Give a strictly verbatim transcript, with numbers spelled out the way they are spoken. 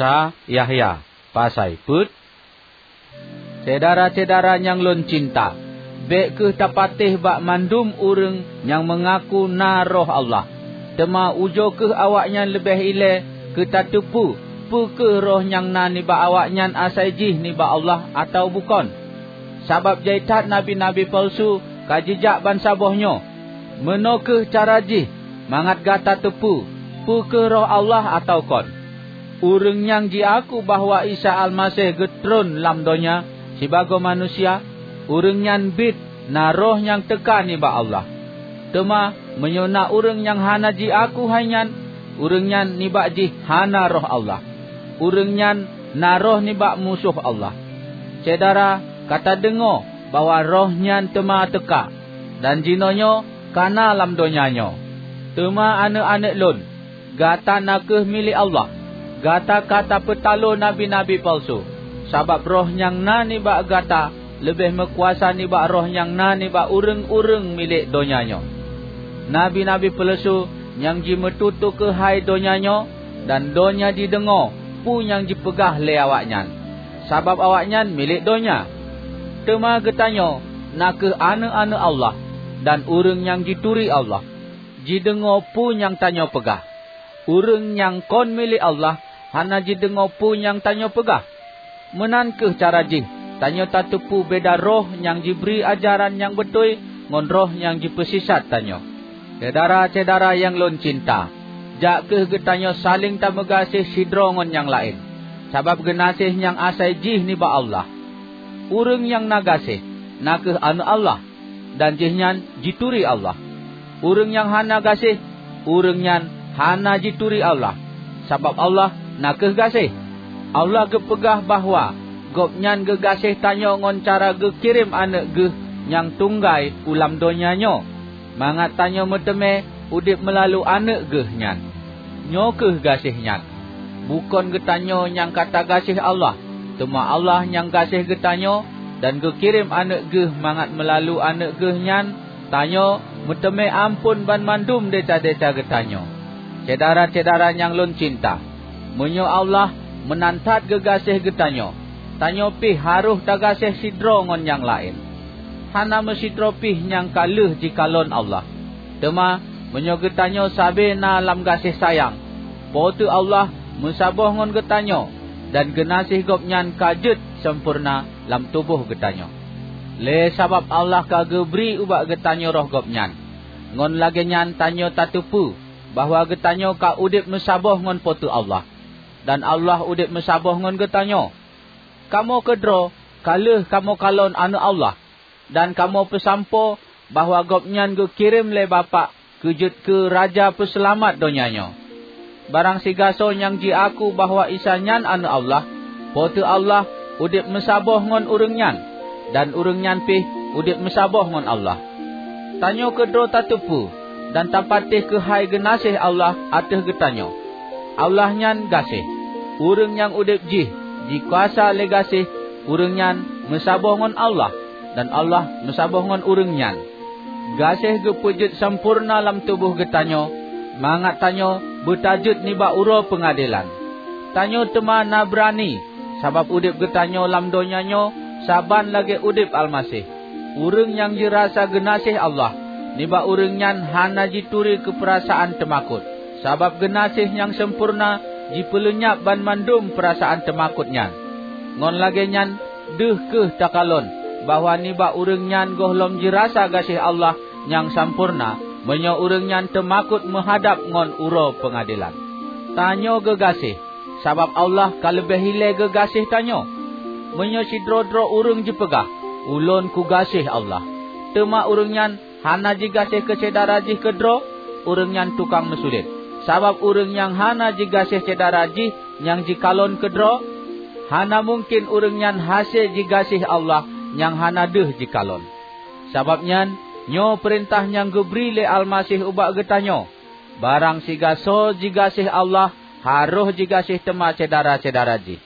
Sa Yahya, pasai peuet? Syedara-syedara nyang lôn cinta, bék kheueh tapatéh bak mandum ureuëng nyang meungaku na Roh Allah, teuma ujoe kheueh awaknyan leubeh ilée keu tateupeue peu kheueh roh nyang na nibak awaknyan asai jih nibak Allah atawa bukon. Sabab jai that nabi-nabi peuleusu ka jijak bansaboh nyoe. Meunoe kheueh cara jih mangat gata teupeue peu kheueh Roh Allah atawa kon. Ureuëng nyang jiaku bahwa Isa Almaseh geutreun lam donya sibagoe manusia, ureuëng nyan biet na roh nyang teuka nibak Allah. Teuma meunyoe na ureuëng nyang hana jiaku hai nyan, ureuëng nyan nibak jih hana Roh Allah. Ureuëng nyan na roh nibak musoh Allah. Syedara ka tadeungoe bahwa Roh nyan teuma teuka, dan jinoenyoe ka na lam donya nyoe. Teuma aneuëk-aneuëk lôn, gata na kheueh milék Allah. Gata ka tapeutaloe nabi-nabi peuleusu, sabab roh nyang na nibak gata leubeh meukuasa nibak roh nyang na nibak ureuëng-ureuëng milék donya nyoe. Nabi-nabi peuleusu nyang jimeututoe keuhai donya nyoe, dan donya jideungoe peue nyang jipeugah lé awaknyan, sabab awaknyan milék donya. Teuma geutanyoe na kheueh aneuëk-aneuëk Allah dan ureuëng nyang jituri Allah, jideungoe peue nyang tanyoe peugah. Ureuëng nyang kon milék Allah hana jideungoe peue nyang tanyoe peugah. Meunan kheueh cara jih tanyoe tateupeue beda roh nyang jibri ajaran nyang beutôi ngon roh nyang jipeusisat tanyoe. Syedara-syedara nyang lôn cinta, jak kheueh geutanyoe saléng tameugaséh sidroe ngon nyang laén, sabab geunaséh nyang asai jih nibak Allah. Ureuëng nyang na gaséh na kheueh aneuëk Allah, dan jihnyan jituri Allah. Ureuëng nyang hana gaséh, ureuëng nyan hana jituri Allah, sabab Allah na kheueh gaséh. Allah geupeugah bahwa Gobnyan geugaséh tanyoe ngon cara geukirém Aneuëk Geuh nyang tunggai u lam donya nyoe, mangat tanyoe meuteumé udeb meulalu Aneuëk Geuh nyan. Nyoe kheueh gaséh nyan: bukon geutanyoe nyang ka tagaséh Allah, teuma Allah nyang gaséh geutanyoe dan geukirém Aneuëk Geuh mangat meulalu Aneuëk Geuh nyan tanyoe meuteumé amphon banmandum desya-desya geutanyoe. Syedara-syedara nyang lôn cinta, meunyoe Allah meunan that geugaséh geutanyoe, tanyoe pih harôh tagaséh sidroe ngon nyang laén. Hana meusidroe pih nyang ka lheueh jikalon Allah. Teuma meunyoe geutanyoe sabe na lam gaséh sayang, Po teu Allah meusaboh ngon geutanyoe, dan geunaséh Gobnyan ka jeuet sampoereuna lam tuboh geutanyoe. Lé sabab Allah ka geubri ubak geutanyoe Roh Gobnyan, ngon lagée nyan tanyoe tateupeue bahwa geutanyoe ka udeb meusaboh ngon Po teu Allah, dan Allah udeb meusaboh ngon geutanyoe. Kamoe keudroe ka lheueh kamoe kalon Aneuëk Allah, dan kamoe peusampoe bahwa Gobnyan geukirém lé Bapak keu jeuet keu Raja Peuseulamat donya nyoe. Barang sigasoe nyang jiaku bahwa Isa nyan Aneuëk Allah, Po teu Allah udeb meusaboh ngon ureuëng nyan, dan ureuëng nyan pih udeb meusaboh ngon Allah. Tanyoe keudroe tateupeue dan tapatéh keuhai geunaséh Allah ateueh geutanyoe. Allah nyan gaséh. Ureuëng nyang udeb jih jikuasa lé gaséh, ureuëng nyan meusaboh ngon Allah, dan Allah meusaboh ngon ureuëng nyan. Gaséh geupeujeuet sampoereuna lam tuboh geutanyoe, mangat tanyoe beutajeuet nibak uroe peungadelan. Tanyoe teuma na beurani, sabab udeb geutanyoe lam donya nyoe saban lagée udeb Almaseh. Ureuëng nyang jirasa geunaséh Allah, nibak ureuëng nyan hana jituri keu peurasaan teumakot, sabab geunaséh nyang sampoereuna jipeuleunyab banmandum peurasaan teumakot nyan. Ngon lagée nyan deuh kheueh takalon bahwa nibak ureuëng nyan gohlom jirasa gaséh Allah nyang sampoereuna, meunyoe ureuëng nyan teumakot meuhadab ngon uroe peungadelan. Tanyoe geugaséh, sabab Allah ka leubeh ilée geugaséh tanyoe. Meunyoe sidroe-droe ureuëng jipeugah, "Ulôn kugaséh Allah," teuma ureuëng nyan hana jigaséh keu syedara jih keudroe, ureuëng nyan tukang meusulet. Sabab ureuëng nyang hana jigaséh syedara jih nyang jikalon keudroe, hana mungken ureuëng nyan hase jigaséh Allah nyang hana deuh jikalon. Sabab nyan, nyoe peurintah nyang geubri lé Almaseh ubak geutanyoe: Barang sigasoe jigaséh Allah, harôh jigaséh teuma syedara-syedara jih.